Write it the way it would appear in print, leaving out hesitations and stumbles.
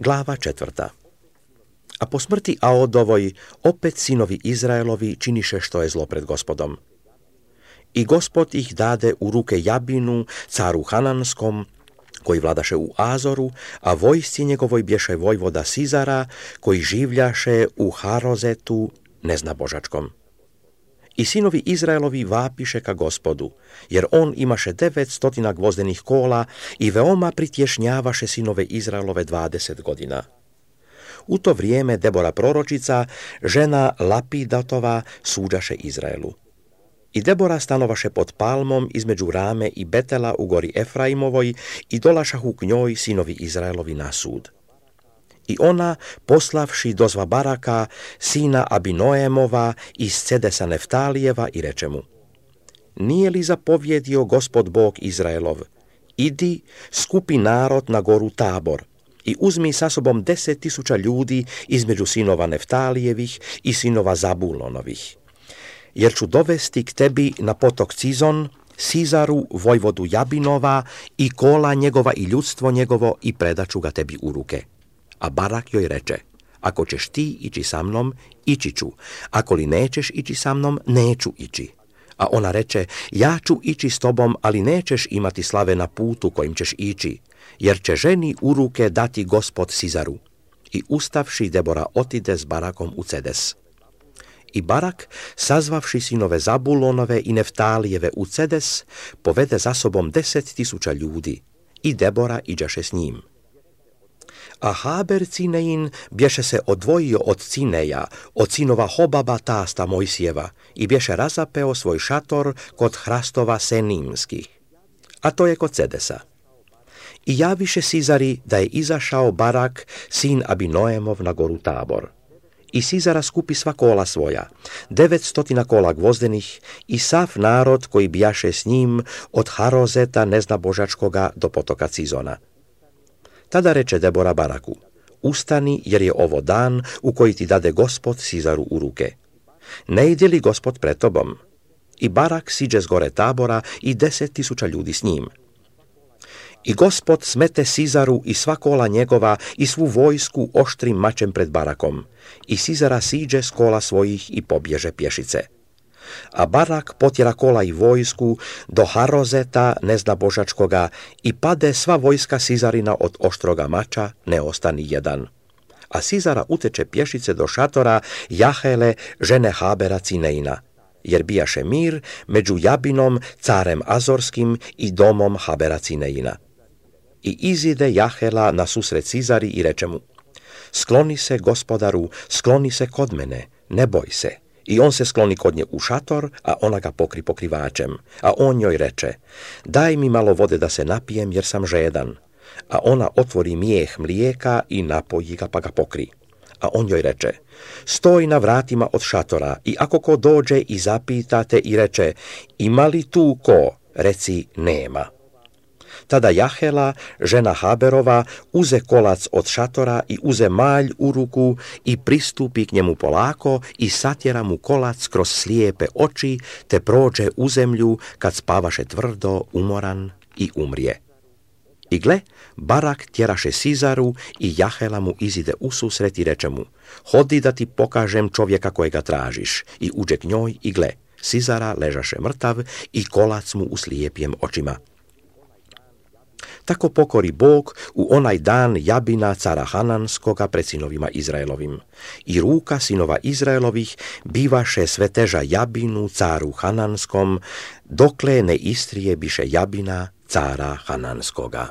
Glava 4. A po smrti Aodovoj opet sinovi Izraelovi činiše što je zlo pred Gospodom. I Gospod ih dade u ruke Jabinu, caru Hananskom, koji vladaše u Azoru, a vojsci njegovoj bješe vojvoda Sizara, koji življaše u Harozetu neznabožačkom. I sinovi Izraelovi vapiše ka Gospodu, jer on imaše 900 gvozdenih kola i veoma pritješnjavaše sinove Izraelove 20 godina. U to vrijeme Debora proročica, žena Lapidatova, suđaše Izraelu. I Debora stanovaše pod palmom između Rame i Betela u gori Efraimovoj i dolašahu k njoj sinovi Izraelovi na sud. I ona, poslavši dozva Baraka, sina Abinoemova iz Cedesa Neftalijeva, i reče mu: Nije li zapovjedio Gospod Bog Izraelov, idi, skupi narod na goru Tabor i uzmi sa sobom 10.000 ljudi između sinova Neftalijevih i sinova Zabulonovih, jer ću dovesti k tebi na potok Cizon, Sizaru, vojvodu Jabinova, i kola njegova i ljudstvo njegovo, i predaću ga tebi u ruke. A Barak joj reče: Ako ćeš ti ići sa mnom, ići ću, ako li nećeš ići sa mnom, neću ići. A ona reče: Ja ću ići s tobom, ali nećeš imati slave na putu kojim ćeš ići, jer će ženi u ruke dati Gospod Sizaru. I ustavši, Debora otide s Barakom u Cedes. I Barak, sazvavši sinove Zabulonove i Neftalijeve u Cedes, povede za sobom 10.000 ljudi, i Debora iđaše s njim. A Haber Cinein bješe se odvojio od Cineja, od sinova Hobaba tasta Mojsijeva, i bješe razapeo svoj šator kod hrastova Senimskih, a to je kod Cedesa. I javiše Sizari da je izašao Barak, sin Abinoemov, na goru Tabor. I Sizara skupi sva kola svoja, 900 kola gvozdenih, i sav narod koji bijaše s njim od Harozeta neznabožačkoga do potoka Cizona. Tada reče Debora Baraku: Ustani, jer je ovo dan u koji ti dade Gospod Sizaru u ruke. Ne ide li Gospod pred tobom? I Barak siđe s gore Tabora i 10.000 ljudi s njim. I Gospod smete Sizaru i sva kola njegova i svu vojsku oštrim mačem pred Barakom, i Sizara siđe s kola svojih i pobježe pješice. A Barak potjera kola i vojsku do Harozeta neznabožačkoga, i pade sva vojska Sizarina od oštroga mača, ne ostani jedan. A Sizara uteče pješice do šatora Jahele, žene Habera Cineina, jer bijaše mir među Jabinom, carem Azorskim, i domom Habera Cineina. I izide Jahela na susret Sizari i reče mu: Skloni se, gospodaru, skloni se kod mene, ne boj se. I on se skloni kod nje u šator, a ona ga pokri pokrivačem. A on njoj reče: Daj mi malo vode da se napijem, jer sam žedan. A ona otvori mijeh mlijeka i napoji ga, pa ga pokri. A on joj reče: Stoj na vratima od šatora, i ako ko dođe i zapita te i reče: Ima li tu ko? Reci: Nema. Tada Jahela, žena Haberova, uze kolac od šatora i uze malj u ruku i pristupi k njemu polako i satjera mu kolac kroz slijepe oči, te prođe u zemlju kad spavaše tvrdo, umoran, i umrije. I gle, Barak tjeraše Sizaru, i Jahela mu izide ususret i reče mu: Hodi da ti pokažem čovjeka kojega tražiš. I uđe k njoj, i gle, Sizara ležaše mrtav i kolac mu u slijepjem očima. Tako pokori Bog u onaj dan Jabina, cara Hananskoga, pred sinovima Izraelovim. I ruka sinova Izraelovih bivaše sve teža Jabinu, caru Hananskom, dokle ne istrije biše Jabina, cara Hananskoga.